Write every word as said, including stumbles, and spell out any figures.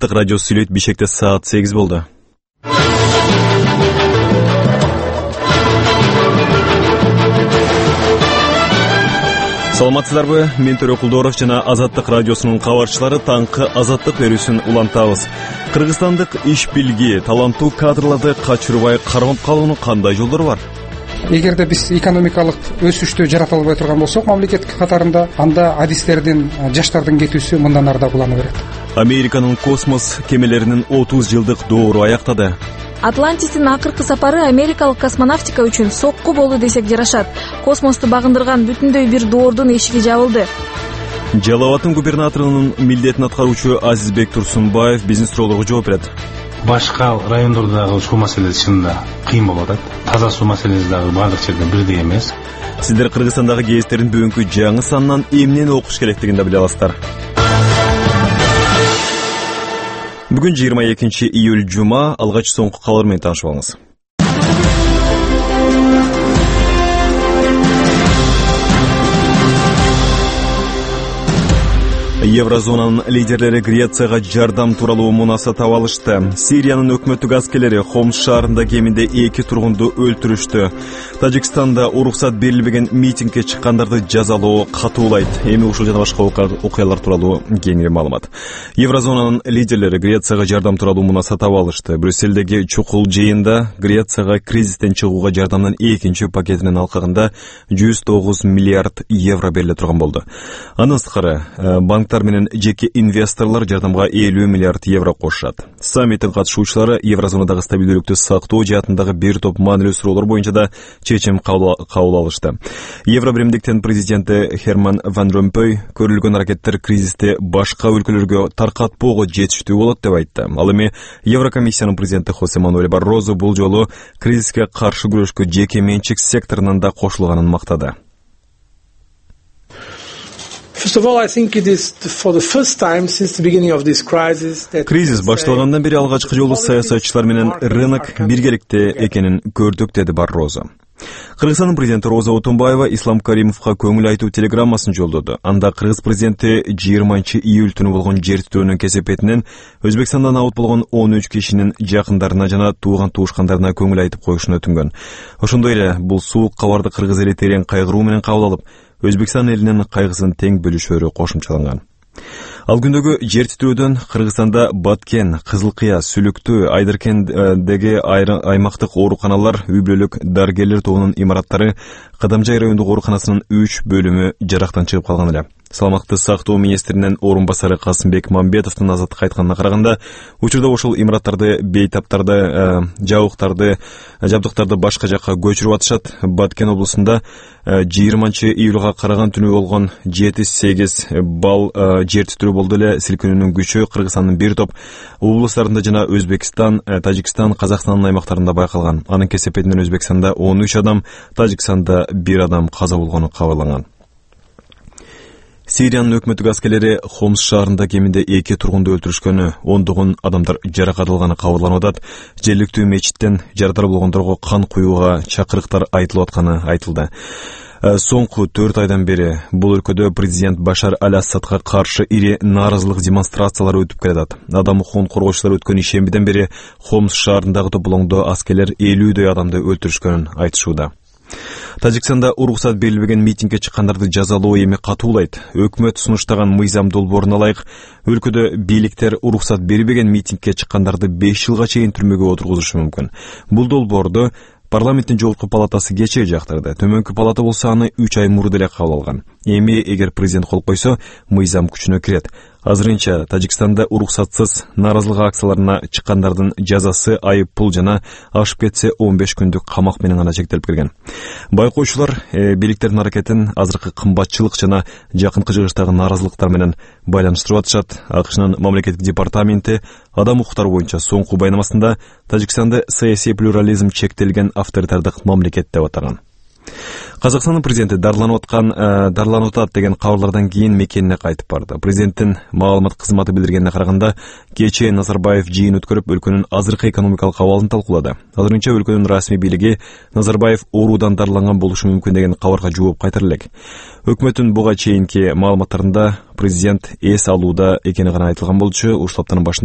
Азаттык радиосу сүйлөйт. Бишкекте саат сегиз болду. Саламатсыздарбы? Мен Төрө Кулдоров жана Азаттык радиосунун кабарчылары таңкы азаттык берүүсүн улантабыз. Кыргызстандык иш билги, таланттуу кадрларды качырбай кармап калуунун кандай жолдору бар? Эгерде биз экономикалык өсүштү жарата албай турган болсок мамлекет катарында, анда адистердин, жаштардын кетүүсү мындан ары да улана берет. Американын космос кемелеринин отуз жылдык доору аяктады. Атлантистин акыркы сапары америкалык космонавтика үчүн сокку болду десек жарашат. Космосту багындырган бүтүндөй бир доордун эшиги жабылды. Жалал Абаддын губернаторунун милдетин аткаруучу Азизбек Турсунбаев биздин суроолорго жооп берет. Башка райондордогу суу маселеси чынында кыйын болуп атат. Таза суу маселеси дагы бардык жерде бирдей эмес. Сиздер Кыргызстандагы гезиттердин бүгүнкү жаңы санынан эмнени окуш керектигин да биле аласыздар. Бүгүн жыйырма экинчи июль жума, алгач соңку кабар менен таанышып алыңыз. Еврозонанын лидерлери Грецияга жардам тууралуу мунаса таап алышты. Сириянын өкмөттүк аскерлери Хомс шаарында кеминде эки тургунду өлтүрүштү. Тажикстанда уруксат берилбеген митингге чыккандарды жазалоо катуулайт. Эми ушул жана башка окуялар тууралуу кеңири маалымат. Еврозонанын лидерлери Грецияга жардам тууралуу мунаса таап алышты. Брюссельдеги чукул жыйында Грецияга кризистен чыгууга жардамдын экинчи пакетинин алкагында жүз тогуз миллиард евро бериле турган болду. Андан сырткары банк менен жеке инвесторлор жардамга элүү миллиард евро кошушат. Саммиттин катышуучулары Еврозонадагы стабилдүүлүктү сактоо жаатындагы бир топ маанилүү суроолор боюнча да чечим кабыл алышты. Евробиримдиктин президенти Херман Ван Ромпой көрүлгөн аракеттер кризисти башка өлкөлөргө таркатпоого жетиштүү болот деп айтты. Ал эми Еврокомиссиянын президенти Хосе Мануэль Баррозо бул жолу кризиске каршы күрөшкө жеке менчик секторунан да кошулганын мактады. Кризис башталгандан бери алгачкы жолу саясатчылар менен рынок биргеликте экенин көрдүк, деди Баррозо. Кыргызстандын президенти Роза Отунбаева Ислам Каримовго көңүл айтуу телеграммасын жолдоду. Анда кыргыз президенти жыйырманчы июль түнү болгон жер титөөнүн кесепетинен Өзбекстандан абут болгон он үч кишинин жакындарына жана тууган туушкандарына көңүл айтып коюшун өтүнгөн. Ошондой эле бул суук кабарды кыргыз эли терең кайгыруу менен кабыл алып, Өзбекстан элинин кайгысын тең бөлүшөрү кошумчаланган. Ал күндөгү жер титөөдөн Кыргызстанда Баткен, Кызылкыя, Сүлүктүү, Айдыркендеги аймактык ооруканалар, үй-бүлөлүк дарыгерлер тобунун имараттары, Кадамжай райондук ооруканасынын үч бөлүмү жарактан чыгып калган эле. Саламаттык сактоо министринин орун басары Касымбек Мамбетовдун Азаттыкка айтканына караганда, учурда ошол имараттарды, бейтаптарды, жабыктарды, жабдыктарды башка жакка көчүрүп атышат. Баткен облусунда жыйырманчы июлга караган түнү болгон жети сегиз балл жер титирөө болду эле. Силкинүүнүн күчү Кыргызстандын бир топ облустарында жана Өзбекстан, Тажикстан, Казакстандын аймактарында байкалган. Анын кесепетинен Өзбекстанда он үч адам, Тажикстанда бир адам каза болгону кабарланган. Сириянын өкмөттүк аскерлери Хомс шаарында кеминде эки тургунду өлтүрүшкөнү, ондогон адамдар жаракат алганы кабарланып атат. Жергиликтүү мечиттен жарадар болгондорго кан куюуга чакырыктар айтылып атканы айтылды. Соңку төрт айдан бери бул өлкөдө президент Башар Аль-Асадга каршы ири нааразылык демонстрациялары өтүп келатат. Адам укугун коргоочулар өткөн ишембиден бери Хомс шаарындагы тополоңдо аскерлер элүүдөй адамды өлтүрүшкөнүн айтышууда. Тажикстанда уруксат берилбеген митингге чыккандарды жазалоо эми катуулайт. Өкмөт сунуштаган мыйзам долбооруна ылайык өлкөдө бийликтер уруксат бербеген митингге чыккандарды беш жылга чейин түрмөгө отургузушу мүмкүн. Бул долбоорду парламенттин жогорку палатасы кечээ жактырды. Төмөнкү палата болсо аны үч ай мурда эле кабыл алган. Эми эгер президент кол койсо, мыйзам күчүнө кирет. Азырынча Тажикстанда уруксатсыз нааразылык акцияларына чыккандардын жазасы айып пул жана ашып кетсе он беш күндүк камак менен гана чектелип келген. Байкоочулар э, бийликтердин аракетин азыркы кымбатчылык жана жакынкы жыгыштагы нааразылыктар менен байланыштырып атышат. АКШнын мамлекеттик департаменти адам укуктары боюнча соңку байнамасында Тажикстанды саясий плюрализм чектелген авторитардык мамлекет деп атаган. Казакстандын президенти дарланып аткан, дарланып атат деген кабарлардан кийин мекенине кайтып барды. Президенттин маалымат кызматы билдиргенине караганда, кечээ Назарбаев жыйын өткөрүп, өлкөнүн азыркы экономикалык абалын талкуулады. Азырынча өлкөнүн расмий бийлиги Назарбаев оорудан дарланган болушу мүмкүн деген кабарга жооп кайтара элек. Өкмөттүн буга чейинки маалыматтарында президент эс алууда экени гана айтылган болчу. Ушул аптанын башында